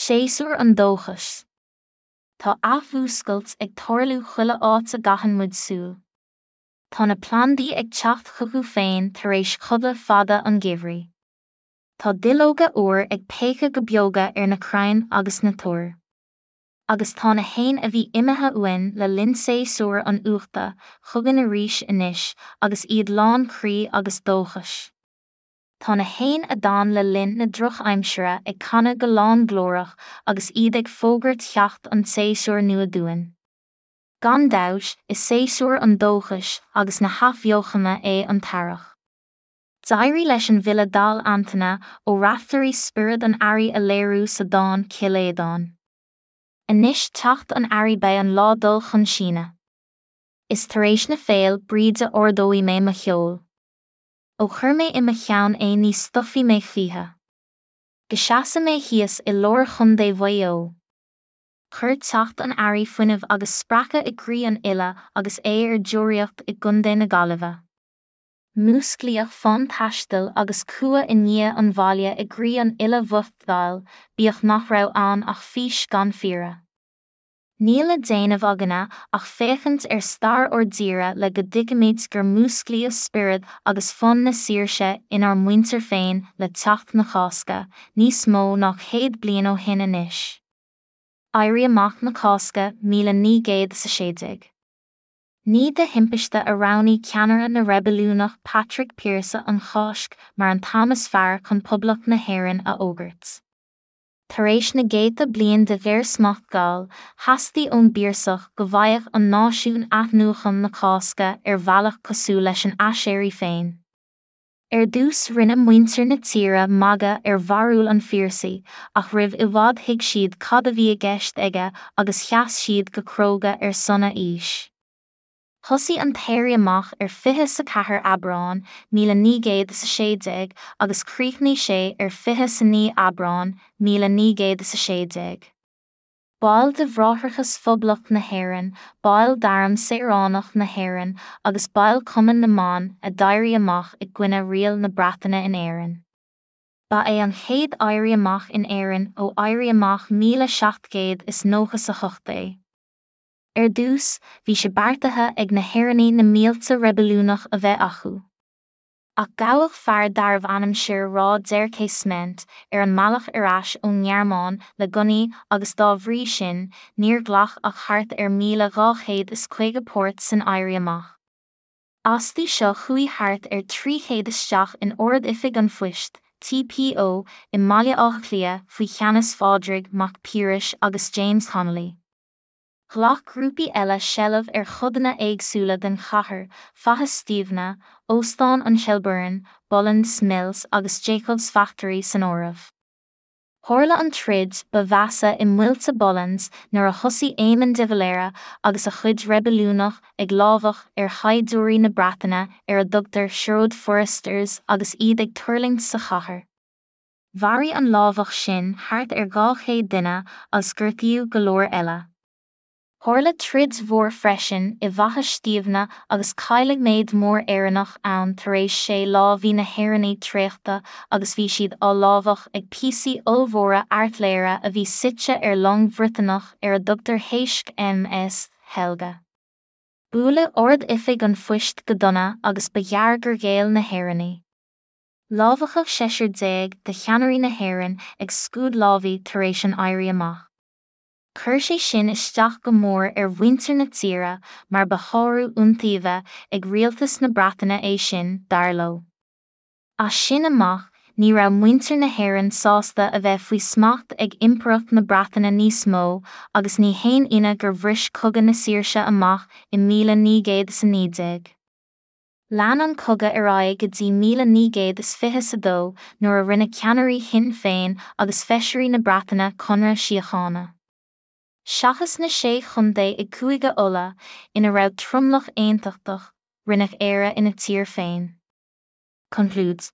Séasúr an dóchais. Tá athmhúscailt ag tarlú chuile áit a gcaitheann muid súil. Tá na plandaí ag teacht chucu féin tar éis chodladh fada an gheimhridh. Tá duilleoga úr ag péacadh go beoga ar na crainn agus na toir. Agus tá na héin a bhí imithe uainn le linn séasúr an fhiuchta chugainn arís anois agus iad lán croí agus dóchais. Tá na héin a d'fhan le linn na drochaimsire ag canadh go lánglórach agus iad ag fógairt theacht an tséasúir nua dúinn. Gan dabht, is séasúr an dóchais agus na hathbheochana é an t-earrach. D'éirigh leis an bhfile dall Antaine Ó Raiftearaí spiorad an earraigh a léiriú sa dán Cill Aodáin. Anois teacht an earraigh beidh an lá dul chun síneadh. Is tar éis na Féil' Bríde ardóidh mé mo cheol. Ó chuir mé i mo cheann é ní stopfaidh mé choíche. Go seasa mé thíos i lár Chontae Mhaigh Eo. Chuir teacht an earraigh fuinneamh agus spreacadh i gcroí an fhile agus é ar deoraíocht i gContae na Gaillimhe. Músclaíodh fonn taistil agus cumha i ndiaidh an bhaile i gcroí an fhile bhoicht dhaill, bíodh nach raibh ann ach fís gan fíre. Níl le déanamh againne ach féachaint ar stair ár dtíre le go dtuigfimid gur músclaíodh spiorad agus fonn na saoirse inár muintir féin le teacht na Cásca, níos mó ná 100 bliain ó shin anois. Éirí Amach na Cásca 1916. Ní de thimpiste a roghnaigh ceannaire na reibiliúnach Patrick Pearse an Cháisc mar an t-am is fearr chun Poblacht na hÉireann a fhógairt. Tar éis na gcéadta bliain de ghéarsmacht Gall, theastaigh ón bPiarsach go bhfaigheadh an náisiún athnuachan na Cásca ar bhealach cosúil leis an aiséirí féin. Ar dtús rinne muintir na tíre magadh ar bharúil an Phiarsaigh ach roimh i bhfad thuig siad cad a bhí i gceist aige agus sheas siad go cróga ar son a fhís. Thosaigh an t-éirí amach ar 24 Aibreán 1916 agus chríochnaigh sé ar 29 Aibreán 1916. Baill de Bhráithreachas Phoblacht na hÉireann, baill d'Arm Saoránach na hÉireann agus baill Chumann na mBan a d'éirigh amach i gcoinne riail na Breataine in Éirinn. Ba é an chéad éirí amach in Éirinn ó Éirí Amach 1798 é. Ar dtús, bhí sé beartaithe ag na hÉireannaigh na mílte reibiliúnach a bheith acu. Ach gabhadh fear darbh ainm Sir Rá der Casement ar an mbealach ar ais ón nGearmáin le gunnaí agus dá bhrí sin níor ghlac ach thart ar 1,250 páirt san Éirí Amach. Astu seo chuaigh thart ar 300 isteach in Ard-Oifig an Phoist, TPO, i mBaile Átha Cliath faoi cheannas Phádraig Mac Piarais agus James Connolly. Ghlac grúpaí eile seilbh ar chodanna éagsúla den chathair, Faiche Stiabhna, Óstán an Shelbourne, Boland's Mills agus Jacob's Factory san áireamh. Tharla an troid ba mheasa i muilte Boland's nuair a thosaigh Éamon de Valera agus a chuid reibiliúnach ag lámhach ar shaighdiúirí na Breataine ar a dtugtar Sherwood Foresters agus iad ag tuirlingt sa chathair. Mharaigh an lámhach sin thart ar 200 duine agus gortaíodh go leor eile. Tharla troid mhór freisin i bhFaiche Stiabhna agus cailleadh méid mór Éireannach ann tar éis sé lá bhí na hÉireannaigh traochta agus bhí siad á lámhach ag píosaí ollmhóra airtléire a bhí suite ar long Bhriotanach ar a dtugtar HMS Helga. Buaileadh Ard-Oifig an Phoist go dona agus ba ghearr gur ghéill na hÉireannaigh. Lámhachadh seisear de cheannairí na hÉireann ag scuad lámhaigh tar éis an Éirí Amach. Chuir sé sin isteach go mór ar mhuintir na tíre mar ba shárú iontaoibhe ag rialtas na Breataine é sin, dar leo. As sin amach, ní raibh muintir na hÉireann sásta a bheith faoi smacht ag Impireacht na Breataine níos mó agus ní haon ionadh gur bhris Cogadh na Saoirse amach i 1919. Lean an cogadh ar aghaidh go dtí 1922 nuair a rinne ceannairí Shinn Féin agus feisirí na Breataine conradh síochána. Seachas na sé chontae i gCúige Uladh, ina raibh tromlach aontachtach, rinneadh Éire ina tír féin. Concludes.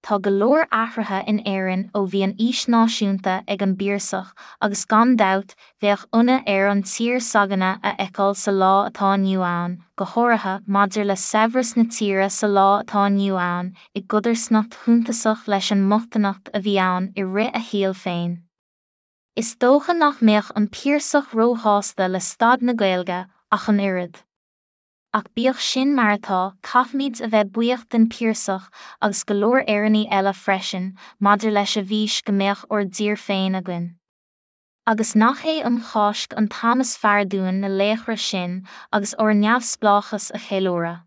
Tá go leor athruithe in Éirinn ó bhí an fhís náisiúnta ag an bPiarsach agus gan dabht bheadh ionadh air an tír s'againne a fheiceáil sa lá atá inniu ann, go háirithe maidir le saibhreas na tíre sa lá atá inniu ann i gcodarsnacht shuntasach leis an mbochtaineacht a bhí ann i rith a shaoil féin. Is dócha nach mbeadh an Piarsach róshásta le staid na Gaeilge ach an oiread. Ach bíodh sin mar atá, caithfimid a bheith buíoch den Piarsach agus go leor Éireannaigh eile freisin maidir leis a bhfís go mbeadh ár dtír féin againn. Agus nach é um Cháisc an t-am is fearr dúinn na laochra sin agus ár neamhspleáchas a cheiliúradh?